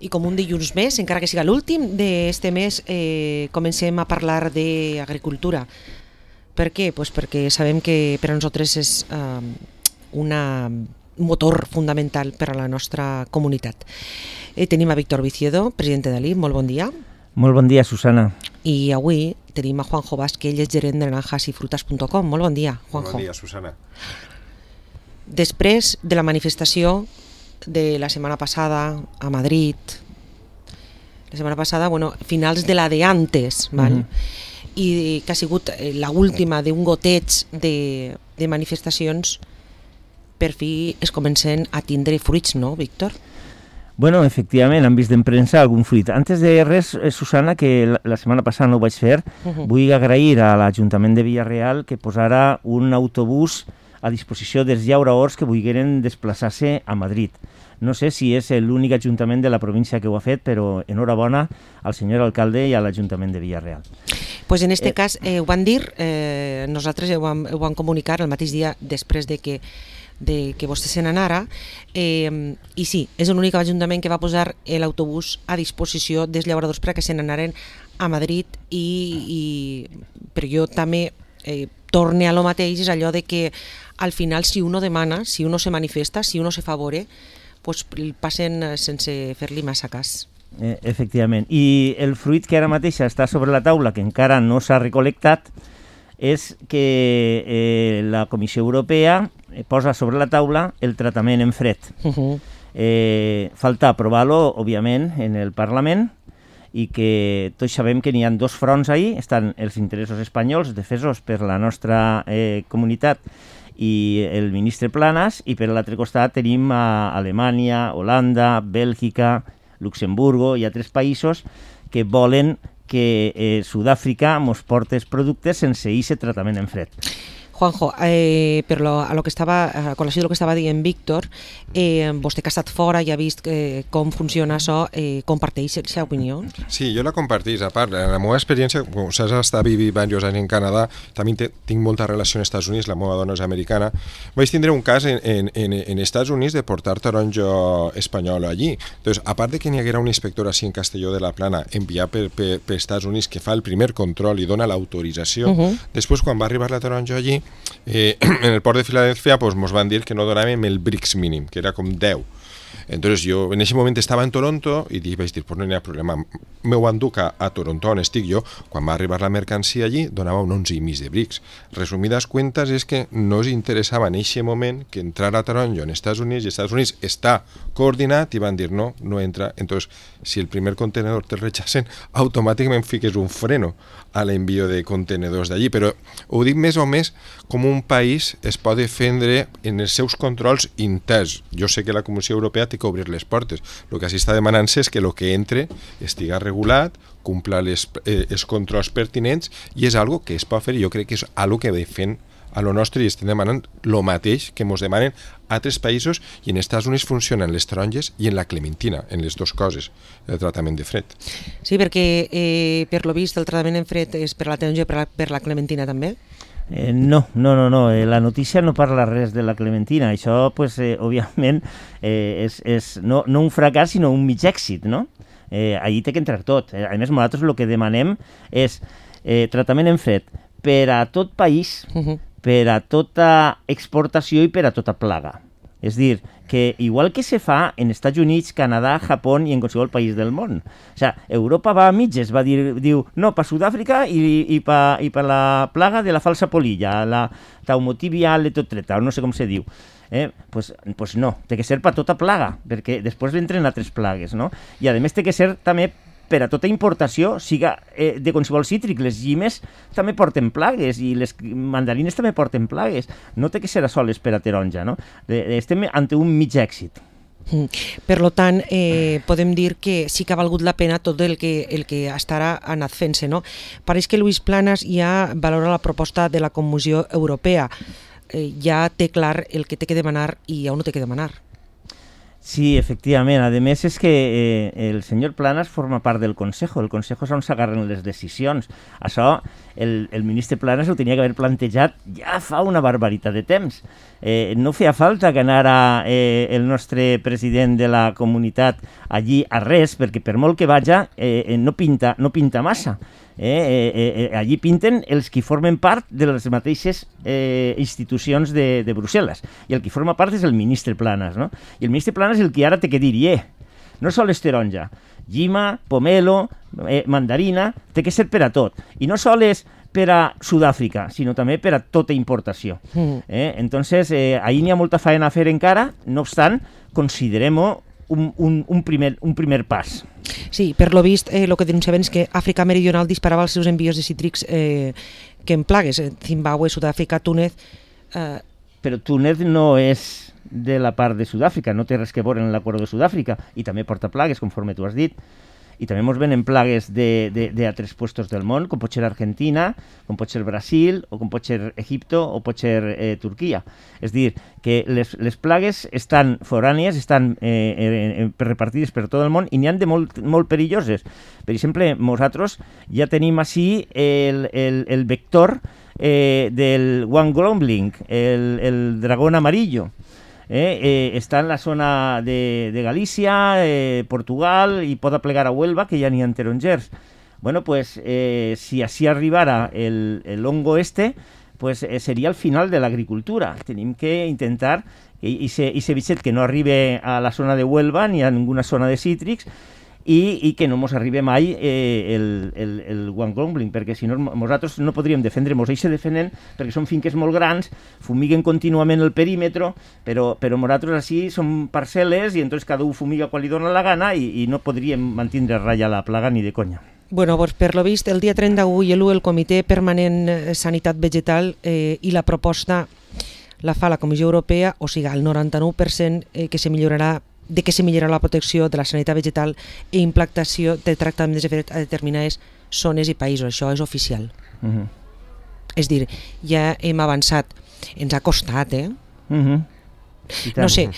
I com un dilluns més, encara que siga l'últim d'este mes, comencem a parlar d'agricultura. Per què? Pues perquè sabem que per a nosaltres és un motor fundamental per a la nostra comunitat. Tenim a Víctor Viciedo, president d'Ali, molt bon dia. Molt bon dia, Susana. I avui tenim a Juanjo Vázquez, ell és gerent de naranjasyfrutas.com. Molt bon dia, Juanjo. Bon dia, Susana. Després de la manifestació de la setmana passada a Madrid, la setmana passada, finals de la de antes, val? I que ha sigut l'última d'un goteig de manifestacions, per fi es comencen a tindre fruits, no, Víctor? Bueno, efectivament, han vist en premsa algun fruit. Antes de res, Susana, que la setmana passada no ho vaig fer, vull agrair a l'Ajuntament de Villarreal que posara un autobús a disposició dels llauradors que volgueren desplaçar-se a Madrid. No sé si és l'únic ajuntament de la província que ho ha fet, però enhorabona al senyor alcalde i a l'Ajuntament de Villarreal. Pues en este cas ho van dir, nosaltres ho vam comunicar el mateix dia després de que vostè se n'anara, i sí, és l'únic ajuntament que va posar l'autobús a disposició dels llauradors perquè se n'anaren a Madrid, però jo també torne a lo mateix, és allò de que al final si uno demana, si uno se manifesta, si uno se favore, pues passen sense fer-li massa cas. Efectivament. I el fruit que ara mateix està sobre la taula, que encara no s'ha recol·lectat, és que la Comissió Europea posa sobre la taula el tractament en fred. Falta aprovar-lo, òbviament, en el Parlament, i que tots sabem que n'hi ha dos fronts ahí, estan els interessos espanyols defesos per la nostra comunitat i el ministre Planas, i per l'altre costat tenim a Alemanya, Holanda, Bèlgica, Luxemburgo i altres països que volen que Sud-àfrica ens porti els productes sense aquest tractament en fred. Juanjo, a col·lació del que estava dient Víctor, vostè que ha estat fora i ha vist com funciona això, comparteix aquesta opinió? Sí, jo la comparteix. A part, la meva experiència, com saps, estar vivint diversos anys en Canadà, també tinc molta relació amb els Estats Units, la meva dona és americana. Vaig tindre un cas en Estats Units de portar taronja espanyol allí. Entonces, a part de que n'hi haguera un inspector així en Castelló de la Plana enviat per Estats Units que fa el primer control i dona l'autorització, després quan va arribar la taronja allí, en el port de Filadèlfia ens van dir que no donàvem el BRICS mínim, que era com 10. Entonces jo en ese moment estava en Toronto i vaig dir, pues no hi ha problema, m'ho enduc a Toronto on estic jo. Quan va arribar la mercancia allí donava un 11,5 de BRICS. Resumides cuentas és que no els interessava en aquest moment que entrara taronja en Estats Units, i Estats Units està coordinat i van dir no entra. Entonces, si el primer contenedor te rechacen, automàticament fiques un freno a l'envio de contenedors d'allí. Però ho dic més o més com un país es pot defendre en els seus controls interns. Jo sé que la Comissió Europea té que obrir les portes. El que s'està demanant és que el que entre estiga regulat, cumpla els controls pertinents, i és algo que es pot fer, i jo crec que és algo que defen a lo nostre, i estem demanant el mateix que ens demanen altres països, i en Estats Units funcionen les taronges i en la clementina, en les dues coses, el tractament de fred. Sí, perquè per lo vist el tractament en fred és per la taronja i per la clementina també? No, la notícia no parla res de la clementina. Això, òbviament, és no un fracàs, sinó un mig èxit, no? Allí té que entrar tot. A més, nosaltres el que demanem és tractament en fred per a tot país, per a tota exportació i per a tota plaga. És dir, que igual que se fa en Estats Units, Canadà, Japó i en qualsevol país del món. O sigui, Europa va a mitges, diu, no, per Sud-àfrica i per la plaga de la falsa polilla, la taumotibial etotreta, no sé com se diu. Pues no, té que ser per tota plaga, perquè després entren altres plagues, no? I a més té que ser també per a tota importació, siga de qualsevol cítric. Les llimes també porten plagues i les mandarines també porten plagues. No té que ser a soles per a taronja, no? Estem ante un mig èxit. Per tant, podem dir que sí que ha valgut la pena tot el que ha anat fent-se, no? Pareix que Luis Planas ja valora la proposta de la Comissió Europea. Ja té clar el que té que demanar i on ho té que demanar. Sí, efectivament. A més, és que el senyor Planas forma part del Consejo. El Consejo és on s'agarren les decisions. Això el ministre Planas ho tenia que haver plantejat ja fa una barbaritat de temps. No feia falta que anara el nostre president de la comunitat allí a res, perquè per molt que vaja no pinta massa. Allí pinten els que formen part de les mateixes institucions de Brussel·les, i el que forma part és el ministre Planas, no? I el ministre Planas és el que ara té que dir, no sol és taronja, llima, pomelo, mandarina, té que ser per a tot, i no sol és per a Sud-àfrica, sinó també per a tota importació. Entonces, ahí n'hi ha molta feina a fer encara, no obstant, considerem-ho un primer pas. Sí, per lo vist, el que denunciaven és que Àfrica Meridional disparava els seus envios de cítrics que en plagues, Zimbabue, Sud-àfrica, Túnez... Però Túnez no és de la part de Sud-àfrica, no té res que veure en l'acord de Sud-àfrica, i també porta plagues, conforme tu has dit. I també ens venen plagues d'altres puestos del món, com pot ser Argentina, com pot ser Brasil, o com pot ser Egipto, o pot ser Turquia. És dir, que les plagues estan forànies, estan repartides per tot el món, i n'hi ha de molt perilloses. Per exemple, nosaltres ja tenim així el vector del Wangolomling, el dragón amarillo. Està en la zona de Galícia, Portugal, i pot aplegar a Huelva, que ja n'hi ha tarongers. Bueno, pues si així arribara el hongo pues seria el final de l'agricultura. Tenim que intentar i ser bitxet que no arribi a la zona de Huelva ni a ninguna zona de cítrics, i que no ens arribi mai el Wangolomling, perquè si no nosaltres no podríem defendre, ens deixa defendent perquè són finques molt grans, fumiguen contínuament el perímetre, però nosaltres així som parcel·les i entonces cada un fumiga quan li dona la gana i no podríem mantindre a ratlla la plaga ni de conya. Bueno, pues per lo vist, el dia 31 i l'1 el Comitè Permanent Sanitat Vegetal i la proposta la fa la Comissió Europea, o sigui, el 99% que se millorarà la protecció de la sanitat vegetal i implantació de tractaments a determinades zones i països. Això és oficial. És dir, ja hem avançat. Ens ha costat, No sé,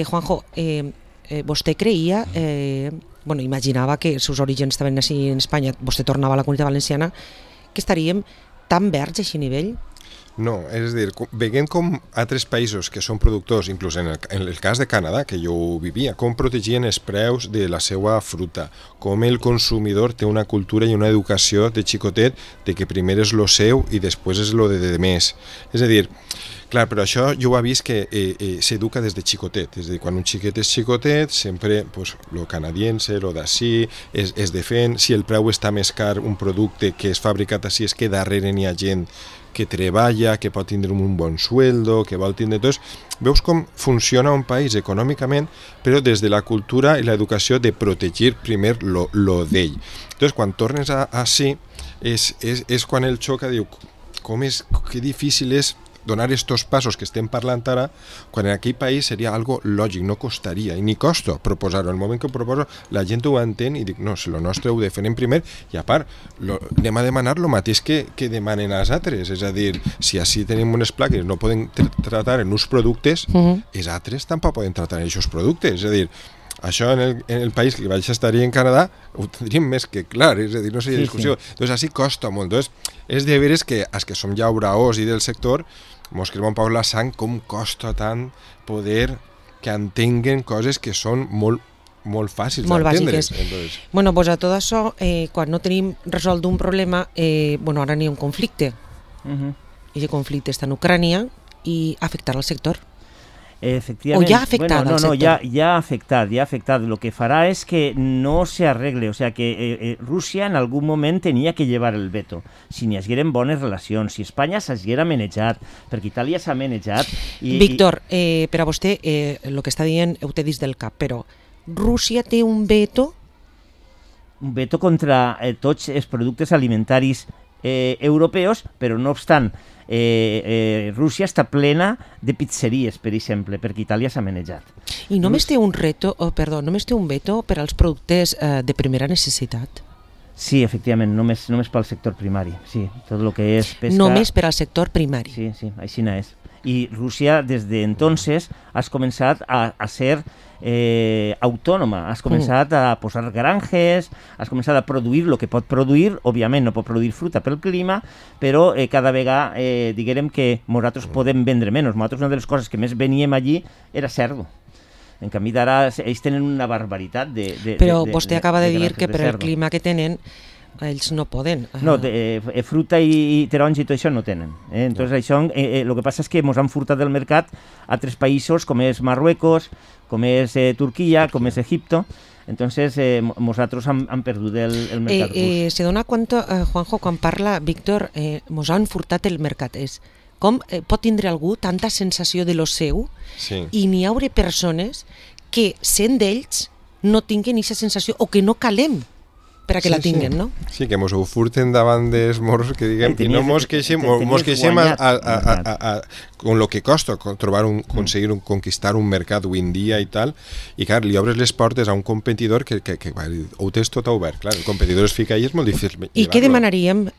Juanjo, vostè creia, imaginava que els seus orígens estaven així en Espanya, vostè tornava a la Comunitat Valenciana, que estaríem tan verds a aquest nivell? No, és a dir, veient com altres països que són productors, inclús en el cas de Canadà, que jo vivia, com protegien els preus de la seva fruta, com el consumidor té una cultura i una educació de xicotet de que primer és lo seu i després és lo de més. És a dir, clar, però això jo ho he vist que s'educa des de xicotet, és a dir, quan un xiquet és xicotet, sempre lo canadiense, lo d'ací, es defèn, si el preu està més car un producte que és fabricat així és que darrere n'hi ha gent que treballa, que pot tindre un bon sueldo, que vol tindre tot. Veus com funciona un país econòmicament, però des de la cultura i l'educació de protegir primer lo d'ell. Entonces, quan tornes així, és quan el xoca diu que difícil és donar estos passos que estem parlant ara, quan en aquell país seria algo lògic, no costaria, i ni costa proposar-ho. El moment que ho proposo, la gent ho entén i dic, no, si lo nostre ho defenem primer, i a part, anem a demanar el mateix que demanen als altres, és a dir, si així tenim unes plaques no poden tratar en uns productes, els altres tampoc poden tratar en aquests productes, és a dir, això en el país que vaig estar en Canadà ho tindríem més que clar, és a dir, no seria discussió. Doncs així costa molt. Doncs és de veres que els que som llauraors i del sector mos crema un poc la sang com costa tant poder que entenguen coses que són molt fàcils d'entendre. Bueno, pues a tot això, quan no tenim resolt un problema, ara n'hi ha un conflicte. I aquest conflicte està en Ucrània i afectarà el sector. Efectivament. O ja ha afectat al sector. Ya ha afectado. Lo que fará es que no se arregle, o sea que Rusia en algún moment tenia que llevar el veto. Si n'hi hagueren bones relacions, si Espanya s'haguera manejat, perquè Itàlia s'ha manejat... Víctor, per a vostè, el que està dient ho té dins del cap, però Rússia té un veto? Un veto contra tots els productes alimentaris europeus, però no obstant, Rússia està plena de pizzeries, per exemple, perquè Itàlia s'ha manejat. I només té un veto per als productes de primera necessitat? Sí, efectivament, només pel sector primari, sí, tot el que és pesca... Només per al sector primari? Sí, així n'és. Y Rusia desde entonces has comenzado a ser autònoma, has començat a posar granges, has començat a produir el que pot produir, òbviament no pot produir fruita pel clima, però cada vegada diguem que nosaltres podem vendre menys. Nosaltres una de les coses que més veníem allí era cerdo. En canvi d'ara ells tenen una barbaritat però vostè acaba de dir que per el clima que tenen ells no poden. No, fruta i taronja i tot això no tenen. Entonces això, el que passa és que ens han furtat del mercat altres països com és Marruecos, com és Turquia, com és Egipto. Entonces nosaltres han perdut el mercat rus. Se dona compte, Juanjo, quan parla Víctor, ens han furtat el mercat. Com pot tindre algú tanta sensació de lo seu i n'hi haurà persones que, sent d'ells, no tinguin aquesta sensació o que no calem per a que la tinguen, no? Sí, que mos ho furten davant dels morros que diguem, i no mos queixem con lo que costa conseguir conquistar un mercat avui en dia i tal, i clar, li obres les portes a un competidor que ho tens tot obert, clar, el competidor es fica ahí, és molt difícil. I què demanaríem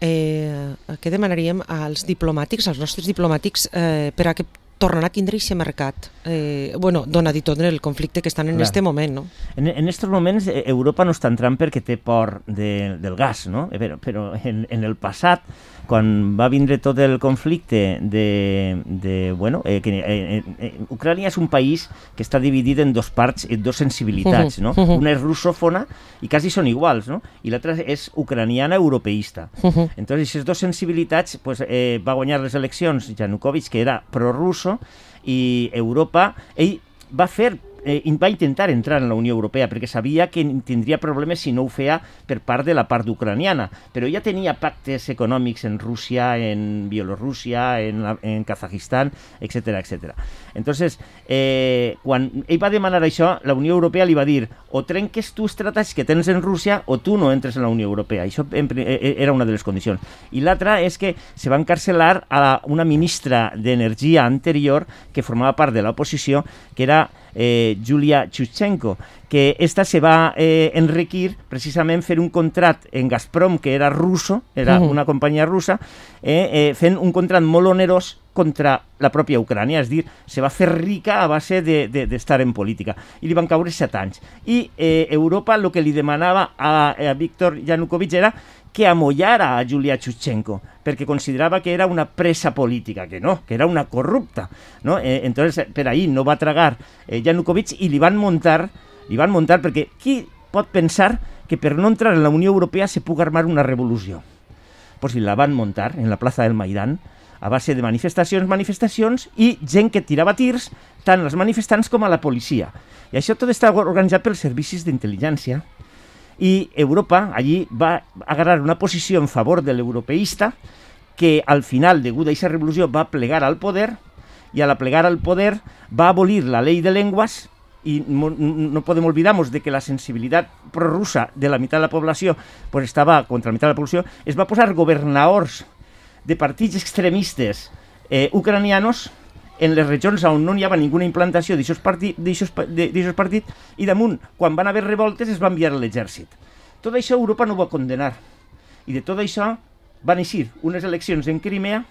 als diplomàtics, als nostres diplomàtics, per a que tornen a tindre aquest mercat, donat i tot el conflicte que estan en aquest moment, no? En aquests moments Europa no està entrant perquè té por del gas, no? Però en el passat, quan va vindre tot el conflicte Ucrània és un país que està dividit en dos parts, en dos sensibilitats, no? Una és russòfona i quasi són iguals, no? I l'altra és ucraniana europeista. Entonces, aquestes dues sensibilitats, va guanyar les eleccions Yanukovych, que era prorrusso, i Europa, ell va intentar entrar en la Unió Europea perquè sabia que tindria problemes si no ho feia per part de la part ucraniana, però ja tenia pactes econòmics en Rússia, en Bielorússia, en Kazajistan, etc. Entonces, quan ell va demanar això, la Unió Europea li va dir o trenques tu els tractats que tens en Rússia o tu no entres en la Unió Europea. Això era una de les condicions. I l'altra és que se va encarcelar a una ministra d'Energia anterior que formava part de l'oposició, que era Yulia Tymoshenko, que esta se va enriquir precisament fer un contracte en Gazprom, que era russo, era una companyia russa, fent un contracte molt onerós contra la pròpia Ucrània, és a dir, se va fer rica a base d'estar en política, i li van caure 7 anys. I Europa el que li demanava a Víctor Yanukovych era que amollara a Yulia Tymoshenko, perquè considerava que era una presa política, que no, que era una corrupta, ¿no? Entonces, per ahí no va tragar Yanukovych i li van muntar perquè qui pot pensar que per no entrar en la Unió Europea se pugui armar una revolució? Pues si la van muntar en la plaça del Maidan a base de manifestacions i gent que tirava tirs tant als manifestants com a la policia. I això tot està organitzat pels servicis d'intel·ligència. I Europa allí va agarrar una posició en favor de l'europeista que al final, degut a aquesta revolució, va plegar al poder i a la plegar al poder va abolir la llei de llengües i no podem oblidar-nos de que la sensibilitat prorrussa de la meitat de la població estava contra la meitat de la població. Es va posar governadors de partits extremistes ucranianos en les regions on no hi havia ninguna implantació d'aquests partits i damunt, quan van haver revoltes, es va enviar a l'exèrcit. Tot això Europa no ho va condenar. I de tot això van eixir unes eleccions en Crimea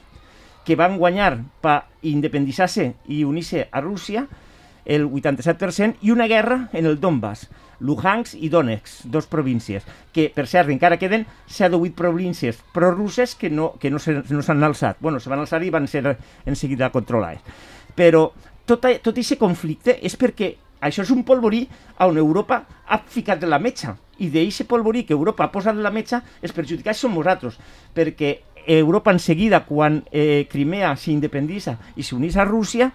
que van guanyar per independitzar-se i unir-se a Rússia el 87% i una guerra en el Donbass, Luhansk i Donetsk, dos províncies, que per cert encara queden 7 o 8 províncies prorusses que no s'han alçat. Bueno, se van alçar i van ser en seguida controlades. Però tot aquest conflicte és perquè això és un polvorí on Europa ha ficat la metxa, i d'aquest polvorí que Europa ha posat la metxa els perjudicats som nosaltres, perquè Europa en seguida, quan Crimea s'independitza i s'unís a Rússia,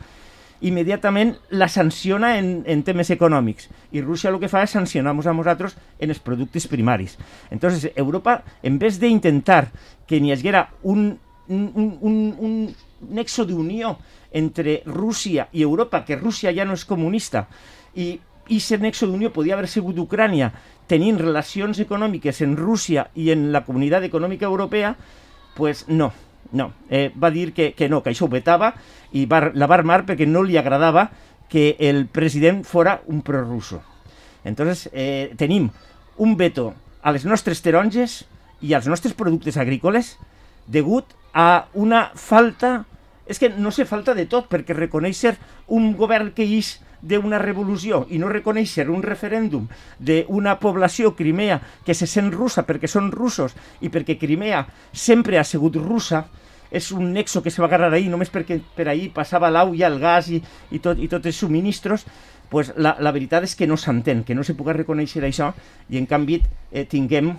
immediatament la sanciona en temes econòmics, i Rússia el que fa és sancionar-nos a nosaltres en els productes primaris. Entonces Europa, en vez d'intentar que n'hi haguera un nexo d'unió entre Rússia i Europa, que Rússia ja no és comunista, i aquest nexo d'unió podia haver sigut Ucrània tenint relacions econòmiques en Rússia i en la Comunitat Econòmica Europea, pues no. Va dir que no, que això ho vetava i la va armar perquè no li agradava que el president fora un prorrusso. Entonces tenim un veto a les nostres taronges i als nostres productes agrícoles degut a una falta és que no se falta de tot, perquè reconèixer un govern que ix d'una revolució i no reconèixer un referèndum d'una població, Crimea, que se sent russa perquè són russos i perquè Crimea sempre ha sigut russa, és un nexo que se va agarrar ahir només perquè per ahir passava l'aigua, el gas i tots els subministros, pues la veritat és que no s'entén, que no se pugui reconèixer això i en canvi tinguem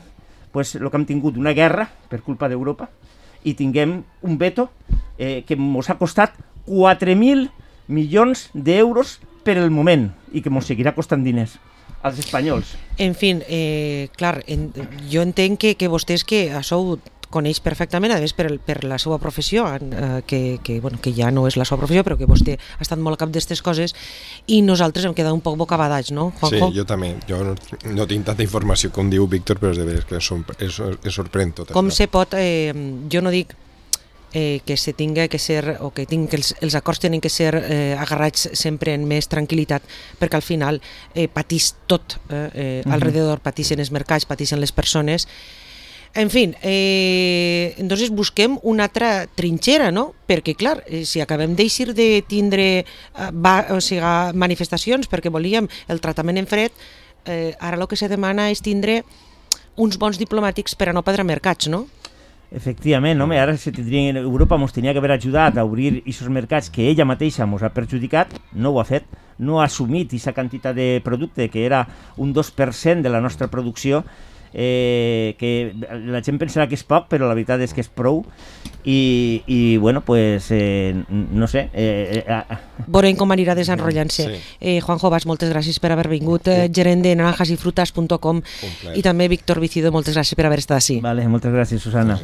pues, el que hem tingut una guerra per culpa d'Europa i tinguem un veto que ens ha costat 4.000 milions d'euros per el moment i que ens seguirà costant diners als espanyols. En fi, clar, jo entenc que vostès que això ho coneix perfectament, a més per la seva professió, que ja no és la seva professió, però que vostè ha estat molt a cap d'aquestes coses, i nosaltres hem quedat un poc bocabadats, no, Juanjo? Sí, jo també. Jo no tinc tanta informació com diu Víctor, però és de veres que es sorprèn tot com això. se pot, jo no dic que se tinga que ser, o que els acords tenen que ser agarrats sempre en més tranquil·litat, perquè al final patís tot, alrededor patixen els mercats, patixen les persones. En fi, entonces busquem una altra trinxera, no? Perquè, clar, si acabem d'eixir de tindre manifestacions perquè volíem el tractament en fred, ara el que se demana és tindre uns bons diplomàtics per a no perdre mercats, no? Efectivament, home, ara Europa ens tenia que haver ajudat a obrir aquests mercats que ella mateixa ens ha perjudicat, no ho ha fet, no ha assumit aquesta quantitat de producte que era un 2% de la nostra producció, que la gent pensarà que és poc, però la veritat és que és prou i bueno, pues no sé. Veurem com anirà desenrotllant-se. Sí. Juanjo Bas, moltes gràcies per haver vingut, gerent de naranjasyfrutas.com, i també Víctor Vicido, moltes gràcies per haver estat així. Vale, moltes gràcies, Susana.